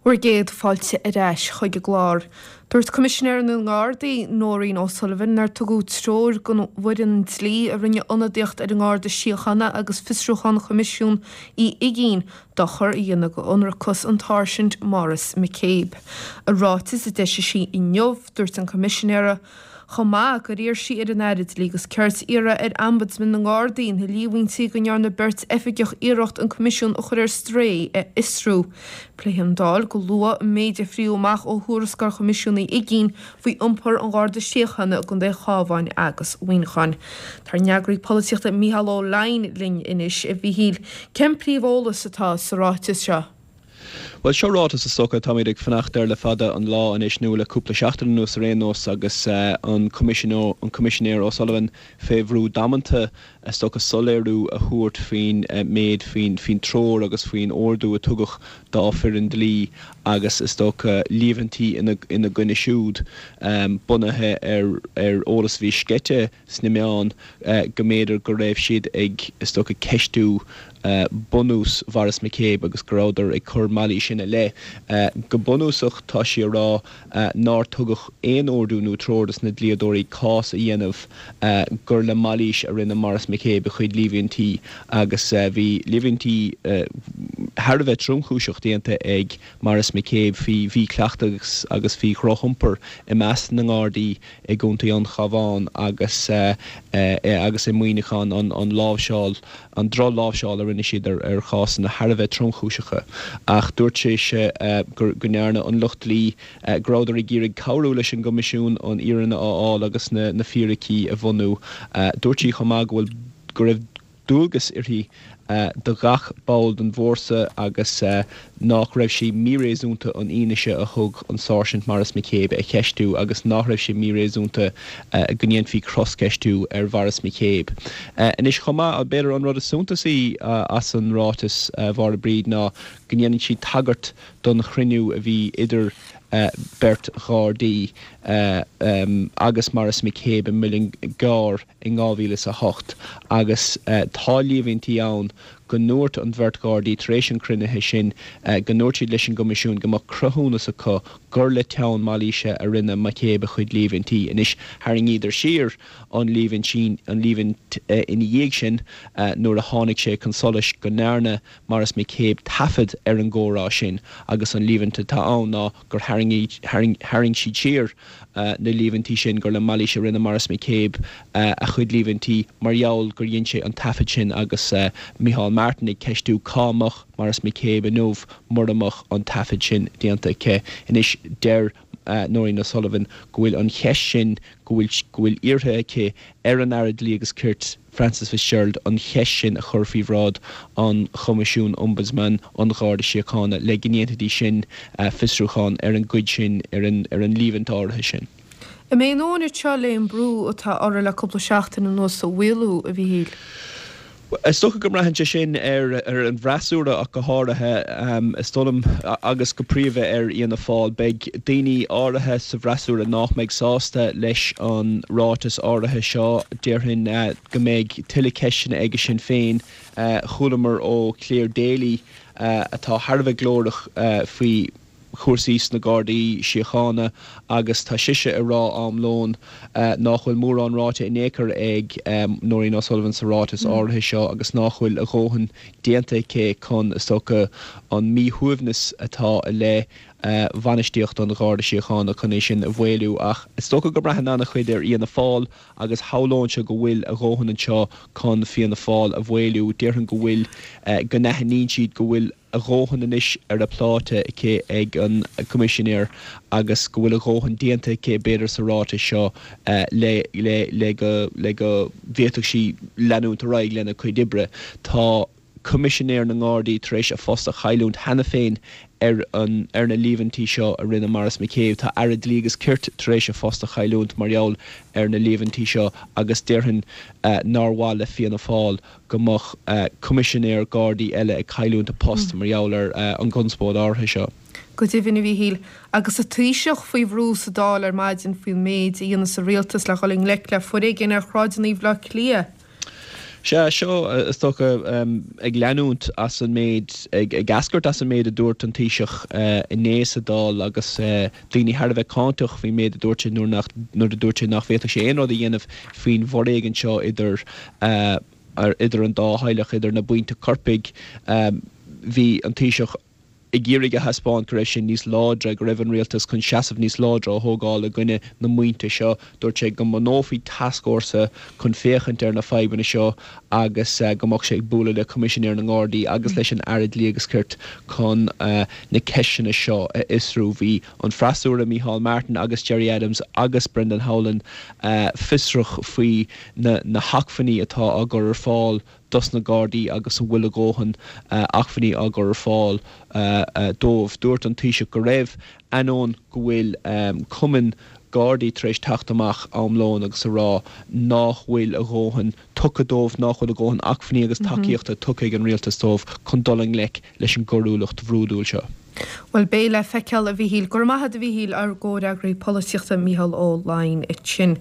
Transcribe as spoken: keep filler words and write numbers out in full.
Bhur gcéad fáilte ar ais chuig an gclár. Dúirt Coimisinéir na nGardaí, Nóirín O'Sullivan, nár tugadh treoir don bhfoireann dlí a rinne ionadaíocht ar an nGarda Síochána agus fiosrúchán Choimisiún Uí Uigínn dochar a dhéanamh d'ionracas an tSáirsint Maurice McCabe. I ráiteas a d'eisigh sí inniu, dúirt an Coimisinéir chomh maith gur iarr sí ar an Aire Dlí agus Cirt iarraidh ar Ombudsman na nGardaí na líomhaintí go ndearna beirt oifigeach iarracht an Coimisiún a chur ar strae a fhiosrú. Pléifidh an Dáil go luath an méid a fríodh amach ó thuarascáil Choimisiún Uí Uigínn faoi iompar an Gharda Síochána i gContae an Chabháin agus Mhuineacháin. Tá ár n-eagraí polaitíochta Mícheál Ó Leidhin linn anois, a Mhíchíl. Cén príomheolas atá sa ráiteas seo? Bhuel, seo ráiteas is dócha táimid ag fanacht air le fada an lá anois, nó le cúpla seachtain anuas ar aon nós, agus an Coimisinéir O'Sullivan fé bhrú damanta is dócha soiléiriú a thabhairt faoin méid, faoin treoir agus faoin ordú a tugadh dá foireann dlí agus is dócha líomhaintí ina gcoinne siúd, bunaithe ar eolas a bhí sceite sna meáin go mb'fhéidir go raibh siad ag, is dócha, ceistiú bunús Mhaurice McCabe agus go rabhadar ag cur mailís ina leith. Go bunúsach tá sí a rá nár tugadh aon ordú nó treoir dos na dlíodóirí cás a dhéanamh gur le mailís a rinne Maurice McCabe a chuid líomhaintí agus bhí líomhaintí thar a bheith tromchúiseach déanta ag Maurice McCabe faoi mhíchleachtas agus faoi dhrochiompar i measc na nGardaí i gContae an Chabháin agus agus i Muineachán, an láimhseáil, an drochláimhseáil a rinne siad ar chásanna thar a bheith tromchúiseacha. Ach dúirt sise go ndearna an lucht dlí, go rabhadar ag iarraidh cabhrú leis an gCoimisiún an fhírinne a fháil agus na fíricí a bhunú. Dúirt sí chomh maith go bhfuil, go raibh dualgas uirthi do ghach ball den bhfórsa agus nách raibh sé míréasúnta an fhianaise a thug an Sáirsint Maurice McCabe a cheistiú agus nách raibh sé míréasúnta go ndéanfaí croscheistiú ar Mhaurice McCabe. Anois chomh maith, b'fhéidir an rud is suntasaí as an ráiteas, a Mháire Bríd, ná go ndéanann sí tagairt don chruinniú a bhí idir beirt Ghardaí agus Maurice McCabe i Muileann gCearr in dhá mhíle is a hocht agus tá líomhaintí ann go ndúirt an bheirt Ghardaí tar éis an chruinnithe sin go ndúirt siad leis an gCoimisiún go mbeadh cruthúnas acu gur le teann mailíse a rinne McCabe a chuid líomhaintí. Anois tharraingíodar siar an líomhaint an líomhaint ina dhiaidh sin nuair a tháinig sé chun solais go ndearna Maurice McCabe taifead ar an gcomhrá sin agus an líomhaint atá ann ná gur tharraing siad siar na líomhaintí sin gur le mailís a rinne Maurice McCabe a chuid líomhaintí mar gheall gur dhein sé an taifead sin agus Micheál Martin ag ceistiú cá mbeadh Maurice McCabe inniu mura mbeadh an taifead sin déanta aici. Anois deir Nóirín O'Sullivan go bhfuil an cheist sin, go bhfuil go bhfuil iarrtha aici ar an Aire Dlí agus Cirt, Frances Fitzgerald, an cheist sin a chur faoi bhráid an Choimisiúin Ombudsman an Gharda Síochána le go ndéanfaidís sin fiosrúchán ar an gcuid sin, ar an ar an líomhaint áirithe sin. An mbeidh a ndóthain anseo le an brú atá orthu le cúpla seachtain anuas a mhaolú, a Mhíchíl? Is dócha go mbraitheann sé sin ar an bhfreasúra ach go háirithe, is dóigh liom, agus go príomha ar Fhianna Fáil. Beidh daoine áirithe sa bhfreasúra nách mbeidh sásta leis an ráiteas áirithe seo. Déarfainn go mbeidh tuilleadh ceisteanna aige Sinn Féin. Chualamar ó Clare Daly, atá thar a bheith glórach faoi chúrsaí sna Gardaí Síochána agus tá sise ag rá am lóin nách bhfuil mórán ráite in aon chor ag Nóirín O'Sullivan sa ráiteas áirithe seo agus nách bhfuil a dhóthain déanta aici chun, is dócha, an míshuaimhneas atá i leith bhainistíocht an Gharda Síochána chun é sin a mhaolú. Ach is dócha go mbraitheann an-chuid ar Fhianna Fáil agus shamhlóinnse go bhfuil a dhóthain anseo chun Fianna Fáil a mhaolú. Déarfainn go bhfuil, go n-aithníonn siad go bhfuil a dhóthain anois ar a pláta aici ag an gCoimisinéir agus go bhfuil a dhóthain déanta aici b'fhéidir sa ráiteas seo le le le go le go bhféadfadh sí leanúint ar aghaidh lena cuid oibre. Tá Coimisinéir na nGardaí tar éis a phost a chailliúint cheana féin ar an ar na líomhaintí seo a rinne Maurice McCabe. Tá Aire Dlí agus Cirt tar éis a phost a chailliúint mar gheall ar na líomhaintí seo agus déarfainn nár mhaith le Fianna Fáil go mbeadh Coimisinéir Gardaí eile ag cailliúint a post mar gheall ar an gconspóid áirithe seo. Go deimhin, a Mhíchíl, agus an Taoiseach faoi bhrú sa Dáil ar maidin faoin méid a dhéanfas an Rialtas le dhul i ngleic le foréigean ar shráideanna Bhaile Átha Cliath. Sea, seo is dócha ag leanúint as an méid, ag eascairt as an méid a dúirt an Taoiseach inné sa Dáil agus daoine thar a bheith cáinteach faoin méid a dúirt sé nuair nach, nuair a dúirt sé nach bhféadfadh sé aon rud a dhéanamh faoin bhforéigean seo idir, idir an dá theaghlach, idir na buíonta coirpigh. Bhí an Taoiseach. ag iarraidh a thaispeáint go raibh sé níos láidre, go raibh an rialtas chun seasamh níos láidre a thógáil i gcoinne na mbuíonta seo. Dúirt sé go mbunófaí tascfhórsa chun féachaint ar na fadhbanna seo agus go mbeadh sé ag bualadh le Coimisinéir na nGardaí agus leis an Aire Dlí agus Cirt chun na ceisteanna seo a fhiosrú. Bhí an freasúra Micheál Martin agus Gerry Adams agus Brendan Howlin fiosrach faoi na hacmhainní atá á gcur ar fáil dos na Gardaí agus an bhfuil a dhóthain acmhainní á gcur ar fáil dóibh. Dúirt an Taoiseach go raibh, ainneoin go bhfuil cumainn Gardaí tar éis teacht amach am lóin agus a rá nach bhfuil a dhóthain tugtha dóibh, nach bhfuil a dhóthain acmhainní agus tacaíochta tugtha ag an rialtas dóibh chun dul i ngleic leis an gcoiriúlacht bhrúidiúil seo. Bhuel, beidh le feiceáil, a Mhíchíl. Go raibh maith agat, a Mhíchíl, ár gcomhfhreagraí polaitíochta Mícheál Ó Laighin ansin.